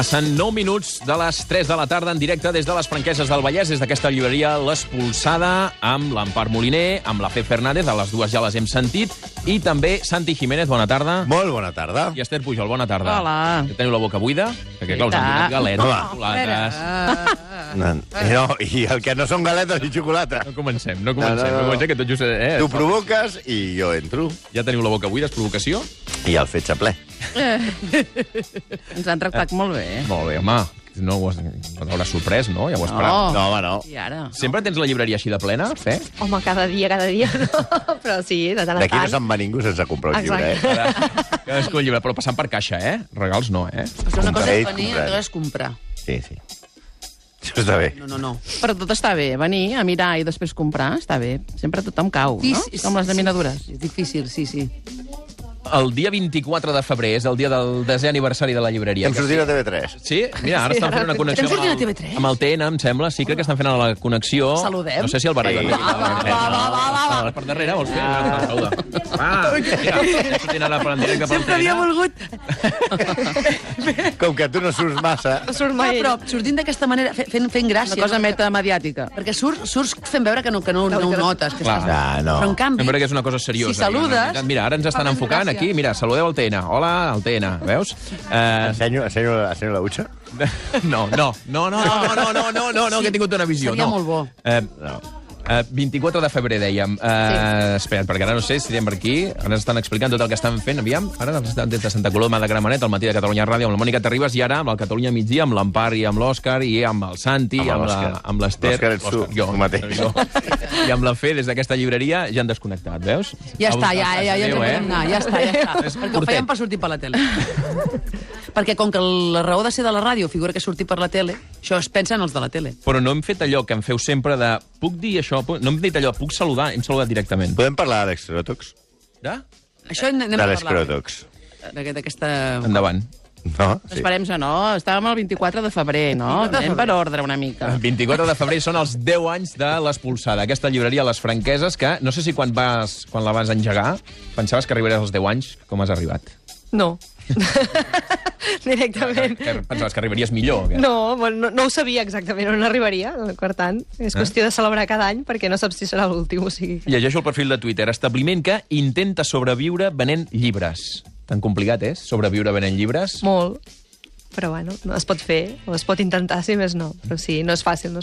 Passen 9 minuts de les 3 de la tarda en directe des de les Franqueses del Vallès, des d'aquesta llibreria L'Espolsada, amb l'Empar Moliner, amb la Fe Fernández, a les dues ja les hem sentit, i també Santi Jiménez, bona tarda. Molt bona tarda. I Esther Pujol, bona tarda. Hola. Que teniu la boca buida? Perquè, clar, us han donat galetes, xocolates... No, i el que no són galetes i xocolata. No comencem, no comencem, que tot just... Tu provoques i jo entro. Ja teniu la boca buida, és provocació? I el fetge ple. Ens han tractat molt bé. Molt bé, home. No t'hauràs sorprès, no? Ja ho esperava. No, home, no. I ara? Sempre tens la llibreria així de plena, Fe? Home, cada dia, no. Però sí, de tant en D'aquí no tant. se'n va ningú sense comprar un llibre, Cadascú el llibre, però passant per caixa, eh? Regals no, eh? Però una cosa és Comprar. venir, una cosa és comprar. Sí. Això està bé. No. Però tot està bé. Venir a mirar i després comprar està bé. Sempre tothom cau, no? Com les laminadures. És difícil, sí. El dia 24 de febrer és el dia del 10è aniversari de la llibreria. Hem sortit a TV3. Sí? Mira, ara estan fent una connexió Estem sortint a TV3? amb el TN, em sembla. Sí, crec que estan fent la connexió. Saludem. No sé si el Barall... Va. Per darrere, vols fer? Saluda. Mira, estem sortint ara per en directe pel Sempre havia TN. volgut. Com que tu no surts massa... No surt mai. Però sortint d'aquesta manera, fent gràcia. Una cosa metamediàtica. Perquè surts fent veure que no ho notes. Que Clar. estàs... No. Però en canvi... Sembla que és una cosa seriosa. Si saludes... Mira, ara ens estan fa més enfocant gràcia. aquí. Mira, saludeu al TN. Hola, al TN. Veus? Ensenyo la butxa? No, que he tingut una visió. Seria no. molt bo. No. 24 de febrer, dèiem. Espera't, perquè ara no sé si estem per aquí. Ara ens estan explicant tot el que estan fent. Aviam, ara estan des de Santa Coloma de Gramenet, al matí de Catalunya Ràdio, amb la Mònica Terribas, i ara amb el Catalunya Migdia, amb l'Empar i amb l'Òscar, i amb el Santi, amb l'Ester... L'Òscar ets tu, jo mateix. I amb la Fe, des d'aquesta llibreria, ja han desconnectat, veus? Ja està, ja ens en podem anar. Ja està. És Perquè ho curtet. fèiem per sortir per la tele. Perquè com que la raó de ser de la ràdio figura que sortir per la tele, això es pensa en els de la tele. Però no hem fet allò que em feu sempre de... Puc dir això? No hem dit allò, puc saludar? Hem saludat directament. Podem parlar d'Àlex Crotox? De? Això anem a D'Àlex parlar Crotox. d'aquesta... Endavant. No? Sí. Esperem que no. Estàvem el 24 de febrer, no? Anem per ordre una mica. El 24 de febrer són els 10 anys de l'Espolsada, aquesta llibreria a les Franqueses, que no sé si quan la vas engegar pensaves que arribaries als 10 anys. Com has arribat? No. Directament. Que pensaves que arribaries millor? Que... No, no ho sabia exactament on arribaria. Per tant, és qüestió de celebrar cada any perquè no saps si serà l'últim. O sigui... Llegeixo el perfil de Twitter. Establiment que intenta sobreviure venent llibres. Tan complicat és, sobreviure venent llibres? Molt. Però bueno, no es pot fer, o es pot intentar, si més no. Però sí, no és fàcil.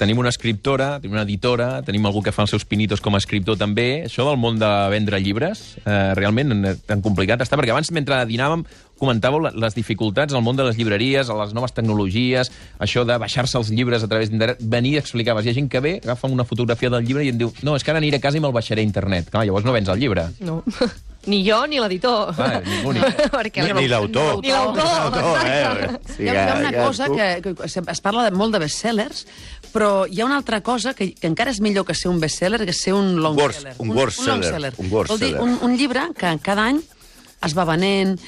Tenim una escriptora, tenim una editora, tenim algú que fa els seus pinitos com a escriptor també. Això del món de vendre llibres, realment tan complicat està, perquè abans, mentre dinàvem, comentàveu les dificultats al món de les llibreries, a les noves tecnologies, això de baixar-se els llibres a través d'internet. Venir i explicaves. Hi ha gent que ve, agafa una fotografia del llibre i em diu no, és que ara aniré a casa i me'l baixaré a internet. Clar, llavors no vens el llibre. No. Ni jo ni l'editor. Ningú. Ni l'autor. Ni l'autor. Sí, Hi ha una cosa que es parla molt de bestsellers, però hi ha una altra cosa que encara és millor que ser un bestseller, que ser un longseller. Un worstseller. Vol dir, un llibre que cada any es va venent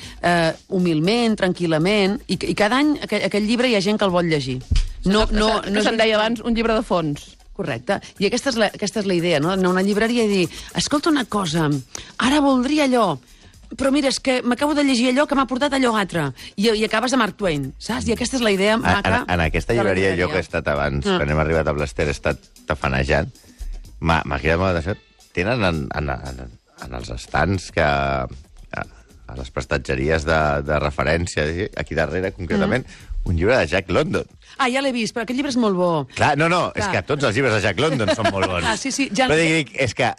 humilment, tranquil·lament, i cada any aquell llibre hi ha gent que el vol llegir. No se'n deia abans un llibre de fons. Correcte. I aquesta és la idea, no? Anar a una llibreria i dir, escolta una cosa, ara voldria allò, però mira, és que m'acabo de llegir allò que m'ha portat allò altre. I acabes de Mark Twain, saps? I aquesta és la idea maca. En aquesta llibreria, jo que he estat abans, quan hem arribat a l'Ester, he estat tafanejant, m'ha cridat molt d'això. Tenen en els estants que... a les prestatgeries de referència, aquí darrere, concretament, un llibre de Jack London. Ah, ja l'he vist, però aquest llibre és molt bo. Clar, és que tots els llibres de Jack London són molt bons. Ah, sí, ja... Però dic, és que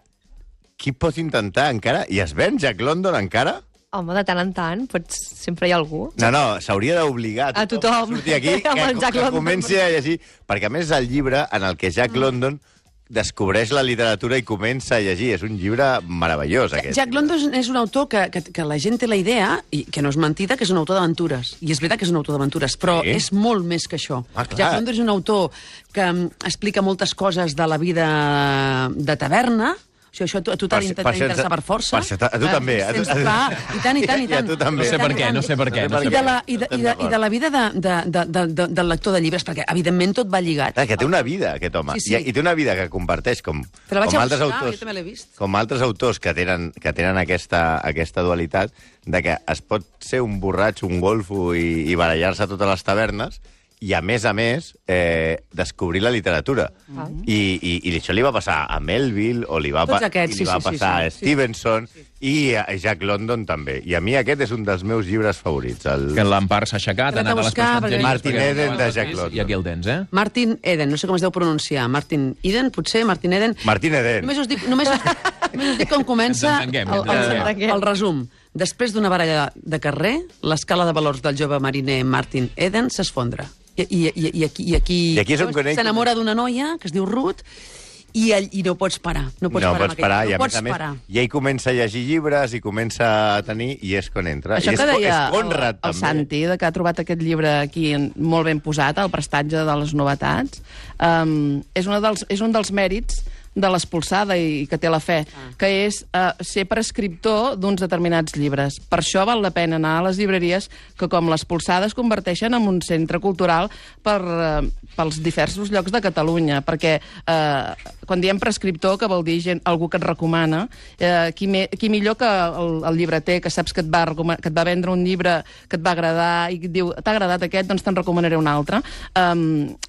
qui pot intentar encara? I es ven Jack London encara? Home, de tant en tant, sempre hi ha algú. No, s'hauria d'obligar a tothom a sortir aquí amb el Jack que London. comenci a llegir, perquè a més és el llibre en el que Jack London descobreix la literatura i comença a llegir. És un llibre meravellós, aquest. Jack London és un autor que la gent té la idea, i que no és mentida, que és un autor d'aventures. I és veritat que és un autor d'aventures, però és molt més que això. Jack London és un autor que explica moltes coses de la vida de taverna. O sigui, això a tu t'ha d'interessar per força. A tu també. I tant. I a tu també. No sé per què. I de la vida del lector de llibres, perquè, evidentment, tot va lligat. Que té una vida, aquest home. I té una vida que comparteix com altres autors que tenen aquesta dualitat de que es pot ser un borratxo, un golfo i barallar-se a totes les tavernes i, a més, descobrir la literatura. I això li va passar a Melville, o li va passar a Stevenson, i a Jack London també. I a mi aquest és un dels meus llibres favorits. Que l'Empar s'ha aixecat, ha anat a les prestatgeries... Martin Eden, de Jack London. I aquí el tens, eh? Martin Eden, no sé com es deu pronunciar. Martin Eden, potser? Martin Eden? Martin Eden. Només us dic com comença el resum. Després d'una baralla de carrer, l'escala de valors del jove mariner Martin Eden s'esfondra. I aquí s'enamora d'una noia que es diu Ruth i no pots parar. No pots parar, i a més, i ell comença a llegir llibres i comença a tenir, i és quan entra. Això que deia el Santi, que ha trobat aquest llibre aquí molt ben posat, el prestatge de les novetats, és un dels mèrits de l'Espolsada i que té la fe, que és ser prescriptor d'uns determinats llibres. Per això val la pena anar a les llibreries que, com l'Espolsada, es converteixen en un centre cultural pels diversos llocs de Catalunya, perquè quan diem prescriptor, que vol dir algú que et recomana, qui millor que el llibreter, que saps que et va vendre un llibre que et va agradar i et diu, t'ha agradat aquest, doncs te'n recomanaré un altre.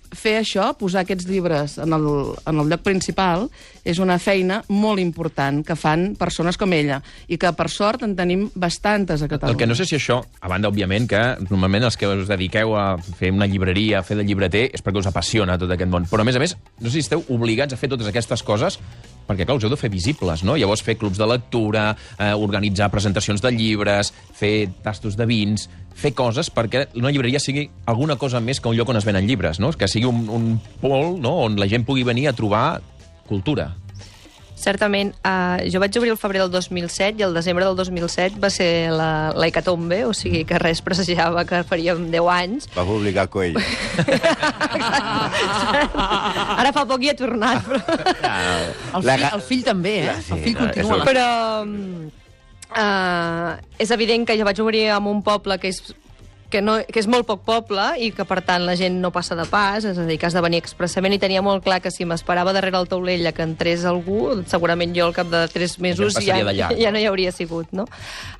Fer això, posar aquests llibres en el lloc principal, és una feina molt important que fan persones com ella, i que, per sort, en tenim bastantes a Catalunya. El que no sé si això, a banda, òbviament, que normalment els que us dediqueu a fer una llibreria, a fer de llibreter, és perquè us apassiona tot aquest món. Però, a més, no sé si esteu obligats a fer totes aquestes coses perquè, clar, us heu de fer visibles, no? Llavors, fer clubs de lectura, organitzar presentacions de llibres, fer tastos de vins, fer coses perquè una llibreria sigui alguna cosa més que un lloc on es venen llibres, no? Que sigui un pol, no?, on la gent pugui venir a trobar cultura. Certament. Jo vaig obrir el febrer del 2007 i el desembre del 2007 va ser la hecatombe, o sigui que res presagiava que faríem 10 anys. Va publicar Coelho. Ara fa poc hi ha tornat, però... El fill també, eh? El fill continua. Però és evident que jo vaig obrir en un poble que és molt poc poble i que, per tant, la gent no passa de pas, és a dir, que has de venir expressament, i tenia molt clar que si m'esperava darrere el taulell a que entrés algú, segurament jo al cap de 3 mesos ja no hi hauria sigut, no?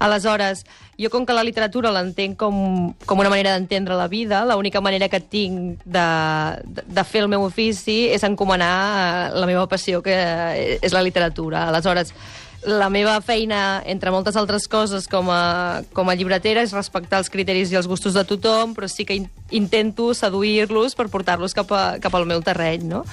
Aleshores, jo com que la literatura l'entenc com una manera d'entendre la vida, l'única manera que tinc de fer el meu ofici és encomanar la meva passió, que és la literatura. Aleshores, la meva feina, entre moltes altres coses, com a llibretera, és respectar els criteris i els gustos de tothom, però sí que intento seduir-los per portar-los cap al meu terreny, no?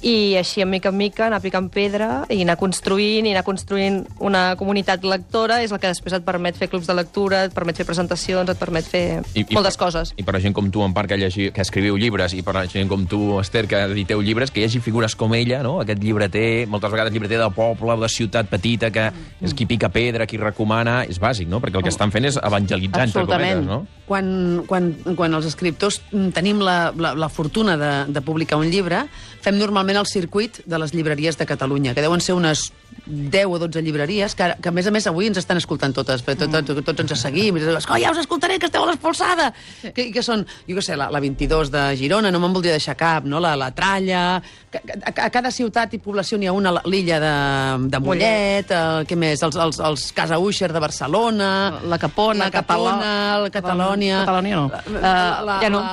I així, en mica anar picant pedra i anar construint una comunitat lectora és el que després et permet fer clubs de lectura, et permet fer presentacions, et permet fer moltes coses. I per a gent com tu, Empar, que escriviu llibres, i per a gent com tu, Esther, que editeu llibres, que hi hagi figures com ella, no? Aquest llibreter, moltes vegades llibreter de poble, de ciutat petita, que és qui pica pedra, qui recomana, és bàsic, no? Perquè el que estan fent és evangelitzar, entre cometes, no? Quan els escriptors tenim la fortuna de publicar un llibre, fem normalment el circuit de les llibreries de Catalunya, que deuen ser unes 10 o 12 llibreries, que a més avui ens estan escoltant totes, tots ens seguim, i dius, ja us escoltaré, que esteu a l'Espolsada! Que són, jo què sé, la 22 de Girona, no me'n voldria deixar cap, no? La Tralla... A cada ciutat i població n'hi ha una, l'illa de Mollet, què més? Els Casa Uixer de Barcelona... La Capona, la Catalònia... Catalònia no.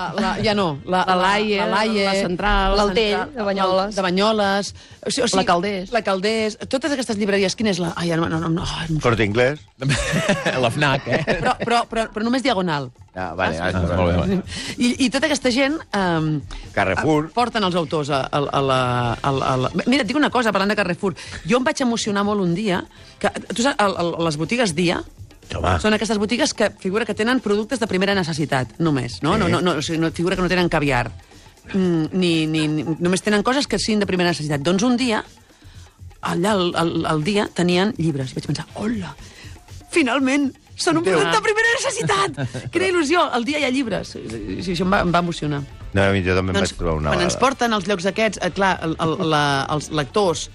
Ja no. La Laie, la Central... L'Altell, de Banyoles. De Banyoles. La Calders. La Calders. Totes aquestes llibreries, quina és la... No. Corte Inglés. La FNAC, eh? Però només diagonal. Vale. Molt bé. I tota aquesta gent... Carrefour. Porten els autors a la... Mira, et dic una cosa, parlant de Carrefour. Jo em vaig emocionar molt un dia, que tu saps, les botigues Dia, són aquestes botigues que figura que tenen productes de primera necessitat, només, no? O sigui, figura que no tenen caviar. Només tenen coses que siguin de primera necessitat. Doncs un dia, allà al Dia, tenien llibres. I vaig pensar, hola, finalment, són un producte de primera necessitat! Quina il·lusió! Al Dia hi ha llibres. Això em va emocionar. No, jo també em vaig trobar una Quan ens porten als llocs aquests, clar, els lectors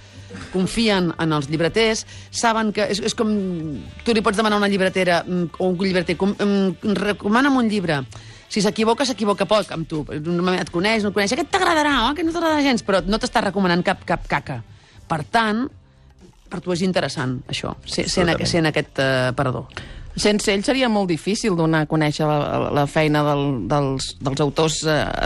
confien en els llibreters, saben que... És com... Tu li pots demanar a una llibretera o un llibreter, recomana'm un llibre. Si s'equivoca poc amb tu. Et coneix, no et coneix. Aquest t'agradarà, aquest no t'agradarà gens, però no t'està recomanant cap caca. Per tant, per tu és interessant, això, ser en aquest parador. Sense ell seria molt difícil donar a conèixer la feina dels autors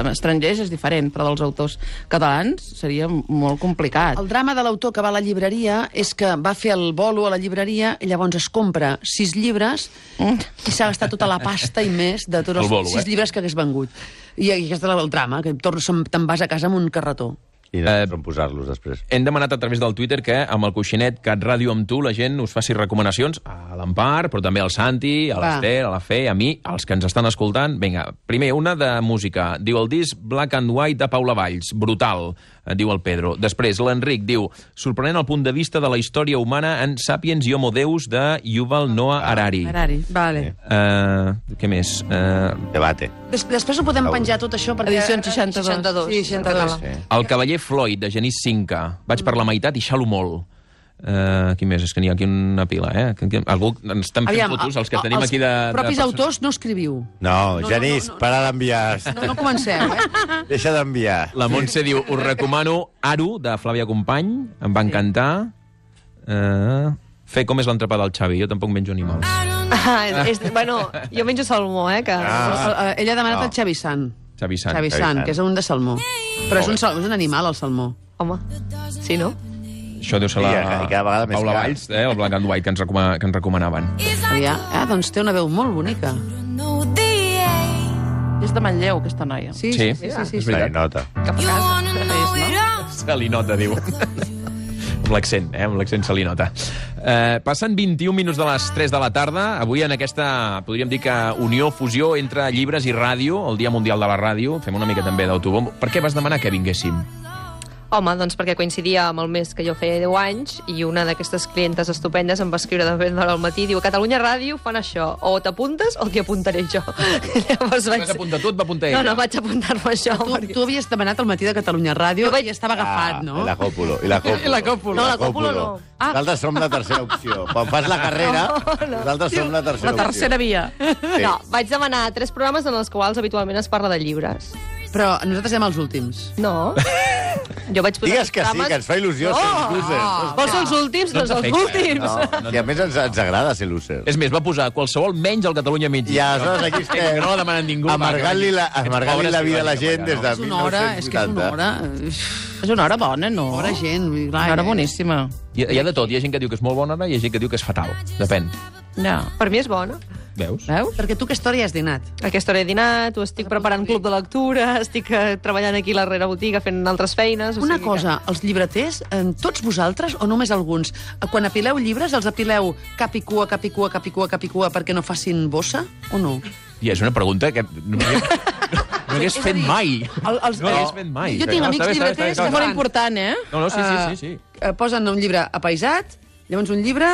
estrangers, és diferent, però dels autors catalans seria molt complicat. El drama de l'autor que va a la llibreria és que va fer el bolo a la llibreria i llavors es compra 6 llibres i s'ha gastat tota la pasta i més de tots els 6 llibres que hagués vengut. I aquest és el drama, que te'n vas a casa amb un carretó. I no on posar-los després. Hem demanat a través del Twitter que amb el coixinet Cat Ràdio amb tu la gent us faci recomanacions a l'Empar, però també al Santi, a l'Ester, a la Fe, a mi, als que ens estan escoltant. Vinga, primer, una de música. Diu el disc Black and White de Paula Valls. Brutal, diu el Pedro. Després, l'Enric diu sorprenent el punt de vista de la història humana en Sapiens i Homo Deus de Yuval Noah Harari. Vale. Què més? Debate. Després ho podem penjar tot això perquè... Edició 62. Sí, 62. El cavaller Floyd, de Genís Cinca. Vaig per la meitat i xalo molt. Qui més? És que n'hi ha aquí una pila, Algú ens estan fent fotos, els que tenim aquí de... Els propis autors no escriviu. No, Genís, para d'enviar. No comenceu, Deixa d'enviar. La Montse diu, us recomano Aru, de Flàvia Company, em va encantar. Fer com és l'entrepà del Xavi, jo tampoc menjo animals. Bueno, jo menjo salmó, que... Ella ha demanat el Xavi Sant. Xavi Sant. Xavi Sant, que és un de salmó. Però és un animal, el salmó. Home, sí, no? Això deu ser la Paula Valls, el Black and White, que ens recomanaven. Doncs té una veu molt bonica. És de Manlleu, aquesta noia. Sí, és veritat. Nota. Cap a casa. Se li nota, diu. Amb l'accent se li nota. Passen 21 minuts de les 3 de la tarda. Avui en aquesta, podríem dir que unió, fusió entre llibres i ràdio, el Dia Mundial de la Ràdio. Fem una mica també d'autobombo. Per què vas demanar que vinguéssim? Home, doncs perquè coincidia amb el mes que jo feia 10 anys i una d'aquestes clientes estupendes em va escriure de ben d'hora al matí, diu, a Catalunya Ràdio fan això, o t'apuntes o t'hi apuntaré jo. Llavors vas apuntar tu, et va apuntar ella? No, vaig apuntar-me això. Tu havies demanat al matí de Catalunya Ràdio i estava agafat, no? I la còpulo. No, la còpulo no. Nosaltres som la tercera opció. Quan fas la carrera, nosaltres som la tercera opció. La tercera via. No, vaig demanar 3 programes en els quals habitualment es parla de llibres. Però nosaltres som els últims. No. Jo vaig posar Digues que sí, que ens fa il·lusió ser els losers. Vols ser els últims? Doncs els últims. I a més ens agrada ser losers. És més, va posar qualsevol menys al Catalunya Migdia. I aleshores aquí és que no l'ha demanat ningú. Amargant-li la vida a la gent des de 1980. És que és una hora... És una hora bona, no? Bona gent. Una hora boníssima. Hi ha de tot. Hi ha gent que diu que és molt bona hora i hi ha gent que diu que és fatal. Depèn. Ja. Per mi és bona. Veus? Perquè tu aquesta hora ja has dinat. Aquesta hora he dinat, ho estic preparant club de lectura, estic treballant aquí a la rere botiga fent altres feines... Una cosa, els llibreters, tots vosaltres o només alguns, quan apileu llibres, els apileu cap i cua perquè no facin bossa o no? I és una pregunta que no hagués fet mai. No hagués fet mai. Jo tinc amics llibreters... És molt important, No, sí. Posen un llibre apaisat, llavors un llibre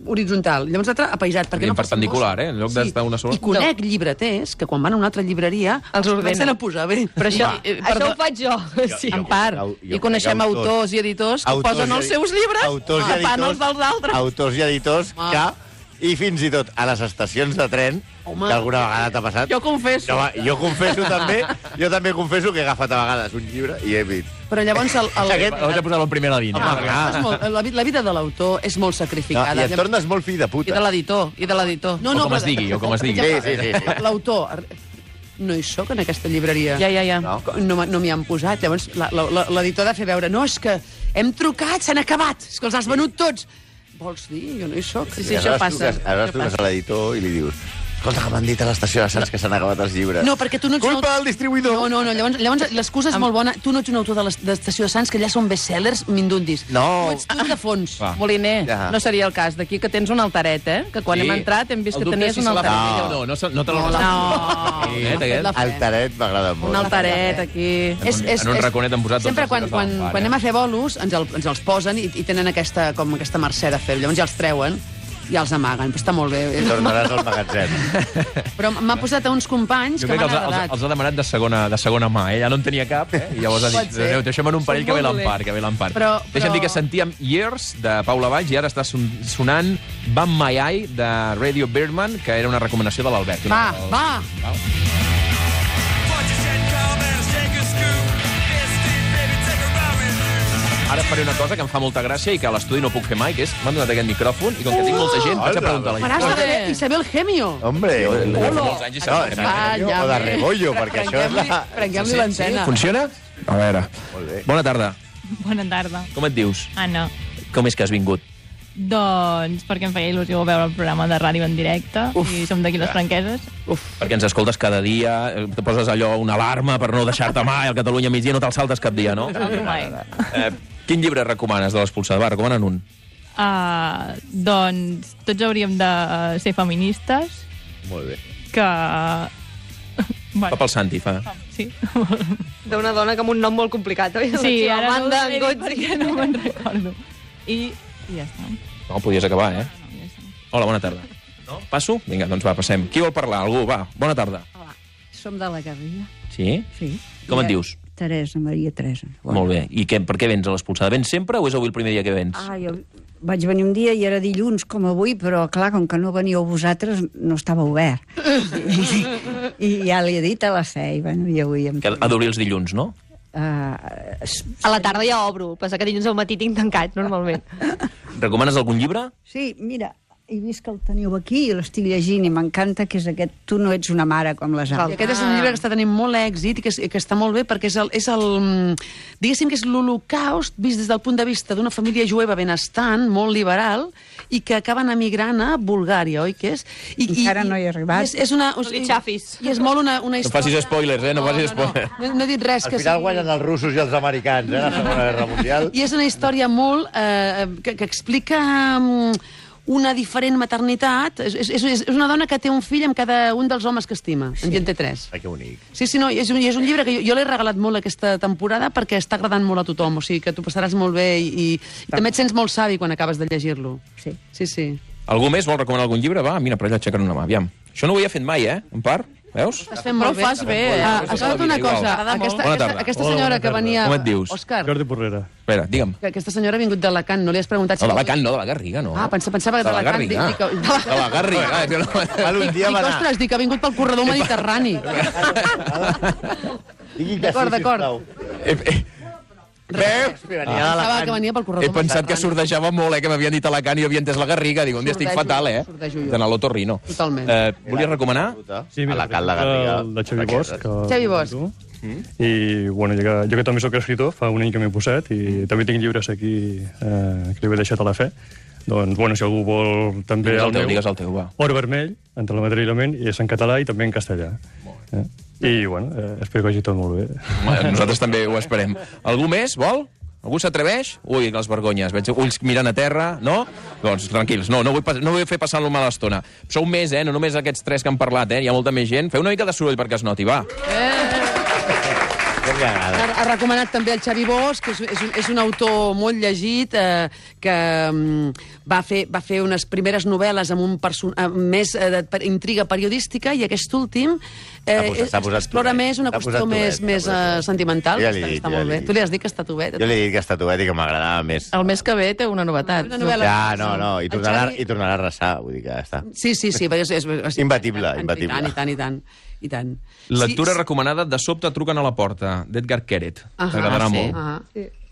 horitzontal, llavors l'altre apaisat. En perpendicular, en lloc d'estar una sola. I conec llibreters que quan van a una altra llibreria els comencen a posar bé. Però això ho faig jo. Sí. En part. I coneixem autors i editors que posen els seus llibres tapant els dels altres. Autors i editors que... I fins i tot a les estacions de tren, que alguna vegada t'ha passat... Jo confesso. Jo confesso també, jo també confesso que he agafat a vegades un llibre i he dit... Però llavors... Vaig a posar-lo primer a la línia. La vida de l'autor és molt sacrificada. I et tornes molt fill de puta. I de l'editor. O com es digui. Sí. L'autor... No hi soc en aquesta llibreria. Ja. No m'hi han posat. Llavors l'editor ha de fer veure... No, és que hem trucat, s'han acabat. És que els has venut tots. Vols dir? Jo no hi soc. Sí, això passa. Aleshores truques a l'editor i li dius escolta, que m'han dit a l'estació de Sants que s'han acabat els llibres. No, perquè tu no ets... Culpa del distribuïdor! No, llavors l'excusa és molt bona. Tu no ets un autor de l'estació de Sants, que allà són bestsellers mindundis. No. Tu ets tu de fons. Moliner, no seria el cas. D'aquí que tens un altaret, Que quan hem entrat hem vist que tenies un altaret. No te l'ho Altaret m'agrada molt. Un altaret, aquí... En un raconet han posat... Sempre quan anem a fer bolos ens els posen i tenen aquesta mercè de fer. Llavors ja els treuen i els amaguen. Però està molt bé. Tornaràs al magatzem. Però m'ha posat a uns companys Jo que crec que m'han agradat. els ha demanat de segona mà, ja no en tenia cap, i llavors ha dit, deixem en un parell que ve l'empart, Deixa'm dir que sentíem Years, de Paula Valls, i ara està sonant Bam My Eye, de Radio Birdman, que era una recomanació de l'Albert. Va! Ara faré una cosa que em fa molta gràcia i que a l'estudi no puc fer mai, que és, m'han donat aquest micròfon i com que tinc molta gent, vaig a preguntar a la gent. Faràs de Isabel Gemio. Hombre, Molts anys i o de Rebollo, perquè això és la... Prenguem-li l'antena. Funciona? A veure. Molt bé. Bona tarda. Bona tarda. Com et dius? Anna. Com és que has vingut? Doncs perquè em feia il·lusió veure el programa de ràdio en directe i som d'aquí les Franqueses. Perquè ens escoltes cada dia, te poses allò una alarma per no deixar-te mai al Catalunya migdia, no te'l saltes cap dia, no? Mai. Quin llibre recomanes de l'Expulsada? Va, recomana'n un. Doncs tots hauríem de ser feministes, Molt bé. que... Va pel Santi, fa. Sí. D'una dona que amb un nom molt complicat, oi? Sí, La ara Amanda no ho he dit Gozzi. perquè no me'n recordo. I ja està. No, podies acabar, eh? No, ja està. Hola, bona tarda. No? Passo? Vinga, doncs va, passem. Qui vol parlar? Algú? Va, bona tarda. Hola, som de la Garriga. Sí? Sí. Com et dius? Teresa, Maria Teresa. Molt bé. I per què vens a l'Expulsada? Vens sempre o és avui el primer dia que vens? Jo vaig venir un dia i era dilluns, com avui, però, clar, com que no veníeu vosaltres, no estava obert. I ja li he dit a la Fe, i, bueno, i avui... Que ha d'obrir els dilluns, no? A la tarda ja obro, passa que dilluns al matí tinc tancat, normalment. Recomanes algun llibre? Sí, mira, he vist que el teniu aquí i l'estic llegint i m'encanta, que és aquest Tu no ets una mare com les I altres. aquest és un llibre que està tenint molt èxit i que està molt bé perquè diguéssim que és l'holocaust vist des del punt de vista d'una família jueva benestant, molt liberal, i que acaben emigrant a Bulgària, oi que és? Encara no hi he arribat. És una, No li xafis. I és molt una No història... facis spoilers, no facis spoilers. No he dit res. Al final guanyen els russos i els americans, la Segona Guerra Mundial. I és una història molt... que explica una diferent maternitat. És una dona que té un fill amb cada un dels homes que estima. En gent té 3. Ai, que bonic. Sí, no, és un llibre que jo l'he regalat molt aquesta temporada perquè està agradant molt a tothom. O sigui, que tu passaràs molt bé i també et sents molt savi quan acabes de llegir-lo. Sí. Sí. Algú més vol recomanar algun llibre? Va, mira, per allà aixequen una mà, aviam. Això no ho havia fet mai, en part. Veus? Estàs fent Però molt ho fas bé. Escolta una cosa. Bona tarda. Aquesta senyora que venia... Com et dius? Òscar, Jordi Porrera. Espera, digue'm. que aquesta senyora ha vingut d'Alacant, no li has preguntat... No, d'Alacant, no, de la Garriga, no. Pensava que de la d'Alacant... Garriga. De la Garriga. Un dia va anar... Ostres, dic que ha vingut pel corredor mediterrani. Digui que D'acord, sí, d'acord. sisplau. Veus? Pensava que venia pel corredor He pensat que mediterrani. sordejava molt, que m'havien dit Alacant i jo havia entès la Garriga. Dic, un dia estic Sordejo, fatal, sordejo jo. D'anar a l'Otorrino. Totalment. Volies recomanar? Sí, mira, a la Cal de Garriga. el de Xavi Bosch. Que Xavi Bosch. I, bueno, jo que també soc escritor, fa un any que m'he posat, i també tinc llibres aquí que li he deixat a la Fe. Doncs, bueno, si algú vol també Digues el teu, va. Or vermell, entre la matèria i la ment, i és en català i també en castellà. I, bueno, espero que hagi tot molt bé. Nosaltres també ho esperem. Algú més, vol? Algú s'atreveix? Ui, les vergonyes. Veig ulls mirant a terra, no? Doncs tranquils, no vull fer passar una mala estona. Sou més, no només aquests 3 que han parlat, hi ha molta més gent. Feu una mica de soroll perquè es noti, va. Ha recomanat també el Xavi Bosch, que és un autor molt llegit, que va fer unes primeres novel·les amb més intriga periodística, i aquest últim explora més una qüestió més sentimental. Està molt bé. Tu li has dit que està tovet? Jo li he dit que està tovet i que m'agradava més. El mes que ve té una novetat. Ja, no, i tornarà a arrasar, vull dir que ja està. Sí, és Imbatible. I tant. Lectura recomanada De sobte truquen a la porta, d'Edgar Keret. T'agradarà molt.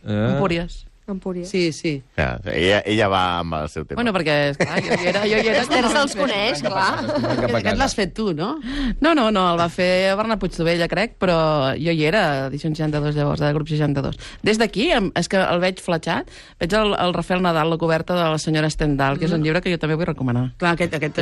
Empúries. Empúries. Sí. Ja, ella va amb el seu tema. Bueno, perquè, esclar, jo hi era... Esther se'ls coneix, clar. Aquest l'has fet tu, no? No, el va fer Bernat Puigdovella, crec, però jo hi era, edició 62, llavors, de grup 62. Des d'aquí, és que el veig fletxat, veig el Rafael Nadal, la coberta de la senyora Stendhal, que és un llibre que jo també vull recomanar. Clar,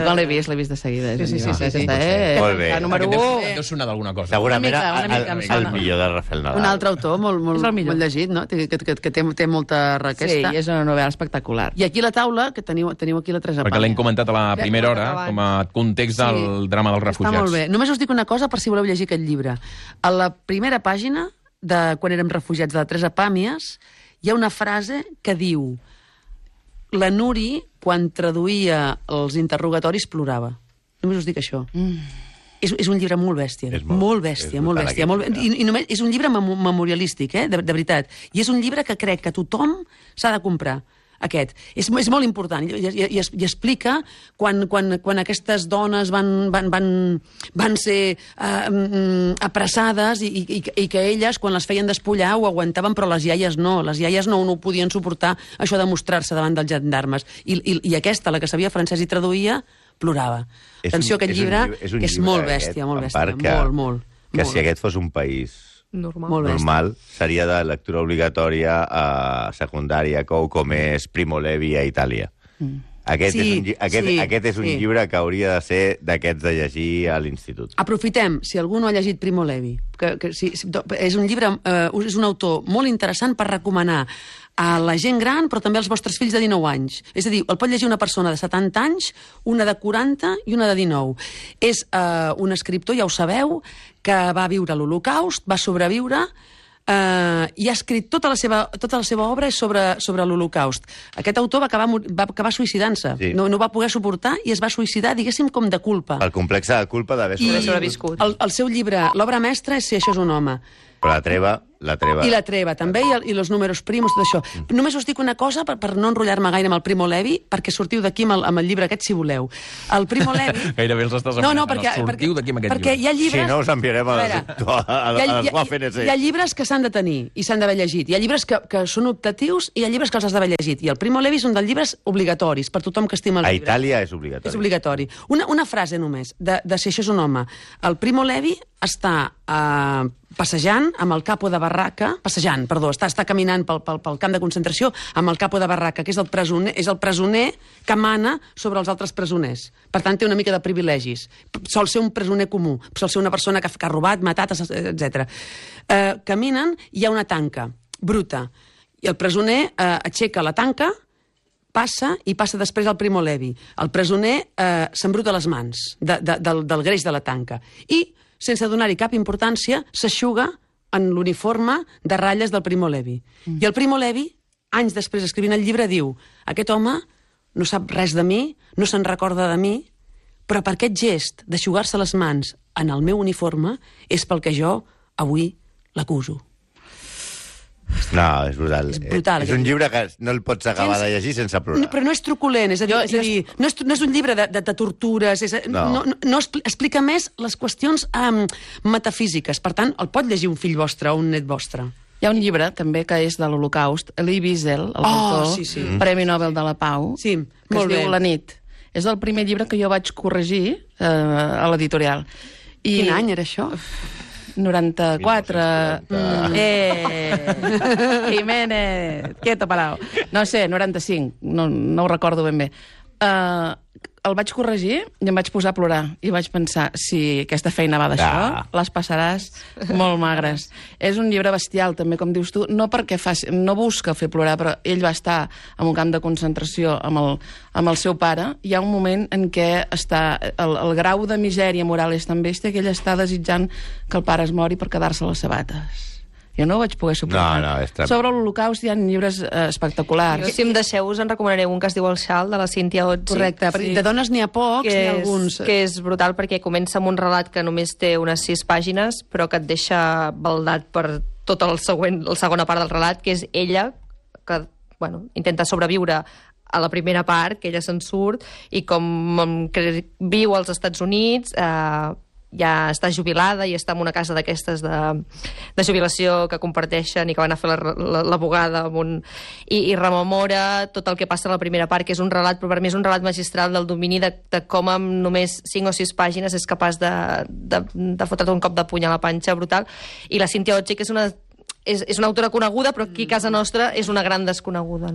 No l'he vist de seguida. Sí. Molt bé. Número 1. Deu sonar d'alguna cosa. Segurament Una mica em el sona. millor de Rafael Nadal. Un altre autor molt llegit, no? Que té molta requesta. Sí, és una novel·la espectacular. I aquí a la taula, que teniu aquí la Teresa Perquè l'hem comentat a la primera hora, com a context del drama dels refugiats. Està molt bé. Només us dic una cosa per si voleu llegir aquest llibre. A la primera pàgina, de quan érem refugiats, de la Teresa Pàmies, hi ha una frase que diu: la Nuri, quan traduïa els interrogatoris, plorava. Només us dic això. És un llibre molt bèstia. És molt bèstia, molt bèstia. I només és un llibre memorialístic, de veritat. I és un llibre que crec que tothom s'ha de comprar. Aquest. És molt important. I explica quan aquestes dones van ser apressades i que elles, quan les feien despullar, ho aguantaven, però les iaies no. Les iaies no ho podien suportar, això de mostrar-se davant dels gendarmes. I aquesta, la que sabia francès i traduïa, plorava. Atenció, aquest llibre és molt bèstia, molt bèstia. Molt. Que si aquest fos un país normal, seria de lectura obligatòria a secundària, com és Primo Levi a Itàlia. Aquest és un llibre que hauria de ser d'aquests de llegir a l'institut. Aprofitem, si algú no ha llegit Primo Levi, és un llibre, és un autor molt interessant per recomanar a la gent gran, però també als vostres fills de 19 anys. És a dir, el pot llegir una persona de 70 anys, una de 40 i una de 19. És un escriptor, ja ho sabeu, que va viure l'Holocaust, va sobreviure, i ha escrit tota la seva obra sobre l'Holocaust. Aquest autor va acabar suïcidant-se. Sí. No va poder suportar i es va suïcidar, diguéssim, com de culpa. El complex de culpa d'haver sobreviscut. El seu llibre, l'obra mestra, és Si això és un home. Però la treva. I la treva, també, i els números primos, tot això. Només us dic una cosa, per no enrotllar-me gaire amb el Primo Levi, perquè sortiu d'aquí amb el llibre aquest, si voleu. El Primo Levi... Gairebé els estàs demanant. Sortiu d'aquí amb aquest llibre. Perquè hi ha llibres... Si no, us enviarem a la FNC. Hi ha llibres que s'han de tenir i s'han d'haver llegit. Hi ha llibres que són optatius i hi ha llibres que els has d'haver llegit. I el Primo Levi és un dels llibres obligatoris per tothom que estima el llibre. A Itàlia és obligatori. És obligatori. Una frase només, de Si això és un home. El Primo Levi està passejant amb el capo de barraca, està caminant pel camp de concentració amb el capo de barraca, que és el presoner que mana sobre els altres presoners. Per tant, té una mica de privilegis. Sol ser un presoner comú, sol ser una persona que ha robat, matat, etc. Caminen i hi ha una tanca bruta. I el presoner aixeca la tanca, passa després al Primo Levi. El presoner s'embruta les mans del greix de la tanca. I sense donar-hi cap importància, s'eixuga en l'uniforme de ratlles del Primo Levi. I el Primo Levi, anys després escrivint el llibre, diu: aquest home no sap res de mi, no se'n recorda de mi, però per aquest gest d'eixugar-se les mans en el meu uniforme és pel que jo avui l'acuso. No, és brutal. És brutal. És un llibre que no el pots acabar de llegir sense plorar. Però no és truculent, és a dir, no és un llibre de tortures, no explica més les qüestions metafísiques. Per tant, el pot llegir un fill vostre o un net vostre. Hi ha un llibre, també, que és de l'Holocaust, Elie Wiesel, l'autor, Premi Nobel de la Pau, que es diu La nit. És el primer llibre que jo vaig corregir a l'editorial. Quin any era això? 94. Jiménez, quieto parao. No sé, 95, no ho recordo ben bé. El vaig corregir i em vaig posar a plorar. I vaig pensar, si aquesta feina va d'això, les passaràs molt magres. És un llibre bestial, també, com dius tu, no perquè no busca fer plorar, però ell va estar en un camp de concentració amb el seu pare. Hi ha un moment en què el grau de misèria moral és tan bèstia que ell està desitjant que el pare es mori per quedar-se les sabates. Jo no ho vaig poder suportar. Sobre l'Holocaust hi ha llibres espectaculars. Si em deixeu, us en recomanaré un que es diu El xal, de la Cíntia Otzi. Correcte, de dones n'hi ha pocs, n'hi ha alguns. Que és brutal, perquè comença amb un relat que només té unes 6 pàgines, però que et deixa baldat per tota la segona part del relat, que és ella, que intenta sobreviure a la primera part, que ella se'n surt, i com viu als Estats Units, ja està jubilada i està en una casa d'aquestes de jubilació que comparteixen i que van a fer l'abogada i rememora tot el que passa a la primera part, que és un relat, però per mi és un relat magistral del domini de com amb només 5 o 6 pàgines és capaç de fotre't un cop de puny a la panxa brutal. I la Cíntia Otzi, que és una autora coneguda, però aquí a casa nostra és una gran desconeguda.